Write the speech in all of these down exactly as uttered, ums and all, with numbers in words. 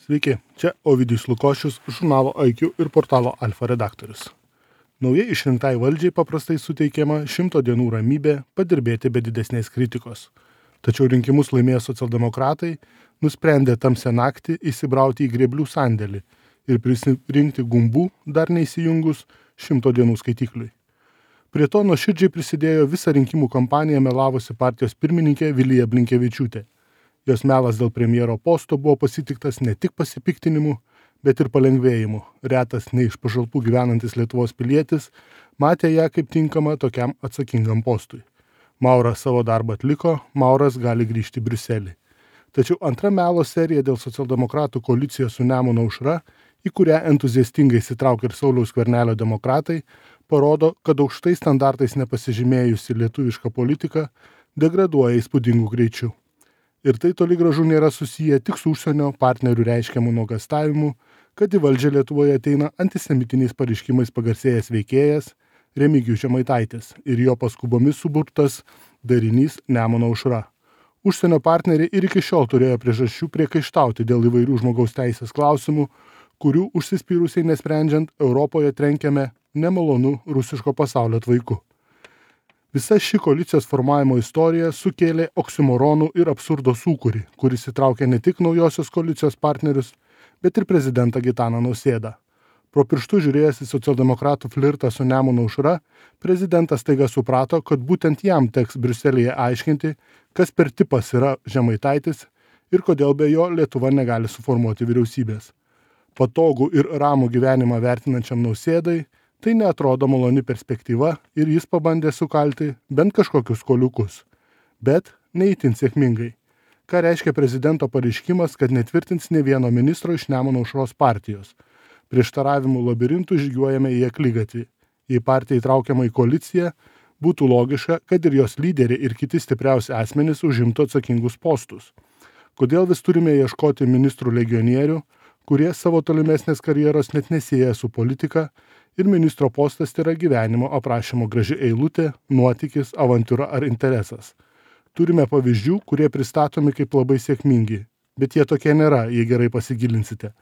Sveiki, čia Ovidijus Lukošius, žurnalo I Q ir portalo Alfa redaktorius. Naujai išrinktai valdžiai paprastai suteikiama šimto dienų ramybė padirbėti be didesnės kritikos. Tačiau rinkimus laimėję socialdemokratai nusprendė tamsią naktį įsibrauti į grėblių sandėlį ir prisirinkti gumbų dar neįsijungus šimto dienų skaitikliui. Prie to nuoširdžiai prisidėjo visą rinkimų kampaniją melavusi partijos pirmininkė Vilija Blinkevičiūtė. Jos melas dėl premjero posto buvo pasitiktas ne tik pasipiktinimu, bet ir palengvėjimu. Retas ne iš pašalpų gyvenantis Lietuvos pilietis matė ją kaip tinkamą tokiam atsakingam postui. Mauras savo darbą atliko, Mauras gali grįžti į Briuselį. Tačiau antra melo serija dėl socialdemokratų koalicijos su Nemuno aušra, į kurią entuziastingai įsitraukė ir Sauliaus Skvernelio demokratai, parodo, kad aukštais standartais nepasižymėjusi lietuviška politika degraduoja įspūdingų greičių. Ir tai toli gražu nėra susiję tik su užsienio partnerių reiškiamų nuogąstavimu, kad į valdžią Lietuvoje ateina antisemitiniais pareiškimais pagarsėjęs veikėjas Remigijus Žemaitaitis ir jo paskubomis suburtas darinys Nemuno aušra. Užsienio partneriai ir iki šiol turėjo priežasčių priekaištauti dėl įvairių žmogaus teisės klausimų, kurių užsispyrusiai nesprendžiant Europoje trenkiame nemalonų rusiško pasaulio tvaiku. Visa ši koalicijos formavimo istorija sukėlė oksimoronų ir absurdo sūkurį, kuris įtraukė ne tik naujosios koalicijos partnerius, bet ir prezidentą Gitaną Nausėdą. Pro pirštų žiūrėjęs į socialdemokratų flirtą su Nemuno aušra, prezidentas staiga suprato, kad būtent jam teks Briuselyje aiškinti, kas per tipas yra Žemaitaitis ir kodėl be jo Lietuva negali suformuoti vyriausybės. Patogų ir ramų gyvenimą vertinančiam Nausėdai tai neatrodo maloni perspektyva ir jis pabandė sukalti bent kažkokius koliukus. Bet neįtin sėkmingai. Ką reiškia prezidento pareiškimas, kad netvirtins ne vieno ministro iš Nemuno aušros partijos. Prieštaravimų labirintų žygiuojame į akligatvį. Jei partija įtraukiama į koaliciją, būtų logiška, kad ir jos lyderiai ir kiti stipriausi asmenys užimtų atsakingus postus. Kodėl vis turime ieškoti ministrų legionierių, kurie savo tolimesnės karjeros net nesieja su politika ir ministro postas yra gyvenimo aprašymo graži eilutė, nuotykis, avantūra ar interesas. Turime pavyzdžių, kurie pristatomi kaip labai sėkmingi, bet jie tokie nėra, jei gerai pasigilinsite.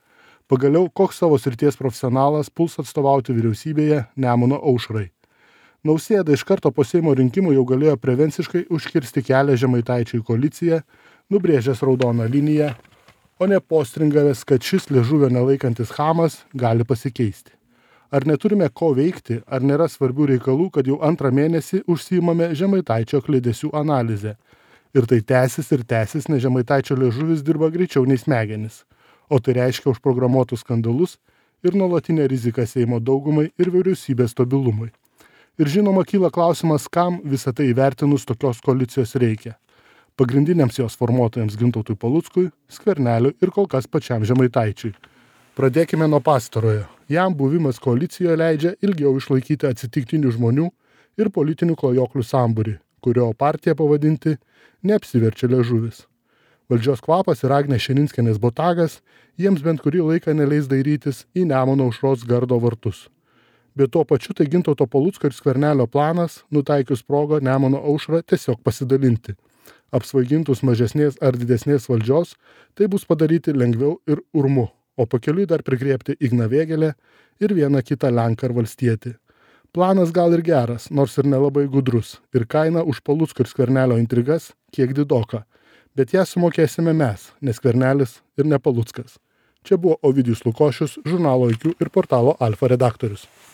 Pagaliau, koks savo srities profesionalas puls atstovauti vyriausybėje Nemuno aušrai. Nausėda iš karto po Seimo rinkimų jau galėjo prevenciškai užkirsti kelią Žemaitaičiui koaliciją, nubrėžęs raudoną liniją, o ne postringavęs, kad šis liežuvio nelaikantis chamas gali pasikeisti. Ar neturime ko veikti, ar nėra svarbių reikalų, kad jau antrą mėnesį užsiimame Žemaitaičio klydesių analizę. Ir tai tęsis ir tęsis, nes Žemaitaičio liežuvis dirba greičiau nei smegenis. O tai reiškia užprogramuotus skandalus ir nuolatinę riziką Seimo daugumai ir vyriausybės stabilumui. Ir žinoma, kyla klausimas, kam visą tai įvertinus tokios koalicijos reikia. Pagrindiniams jos formuotojams Gintautui Paluckui, Skverneliui ir kol kas pačiam Žemaitaičiui. Pradėkime nuo pastarojo. Jam buvimas koalicijoje leidžia ilgiau išlaikyti atsitiktinių žmonių ir politinių klajoklių sambūrį, kurio partiją pavadinti neapsiverčia liežuvis. Valdžios kvapas ir Agnės Širinskienės botagas jiems bent kurį laiką neleis dairytis į Nemuno aušros gardo vartus. Bet tuo pačiu tai Gintauto Palucko ir Skvernelio planas, nutaikius progą Nemuno aušrą tiesiog pasidalinti. Apsvaigintus mažesnės ar didesnės valdžios, tai bus padaryti lengviau ir urmu, o pakeliui dar prigriebti Igną Vėgėlę ir vieną kitą lenką ar valstietį. Planas gal ir geras, nors ir nelabai gudrus, ir kaina už Palucko ir Skvernelio intrigas kiek didoka, bet ją sumokėsime mes, ne Skvernelis ir ne Paluckas. Čia buvo Ovidijus Lukošius, žurnalo I Q ir portalo Alfa redaktorius.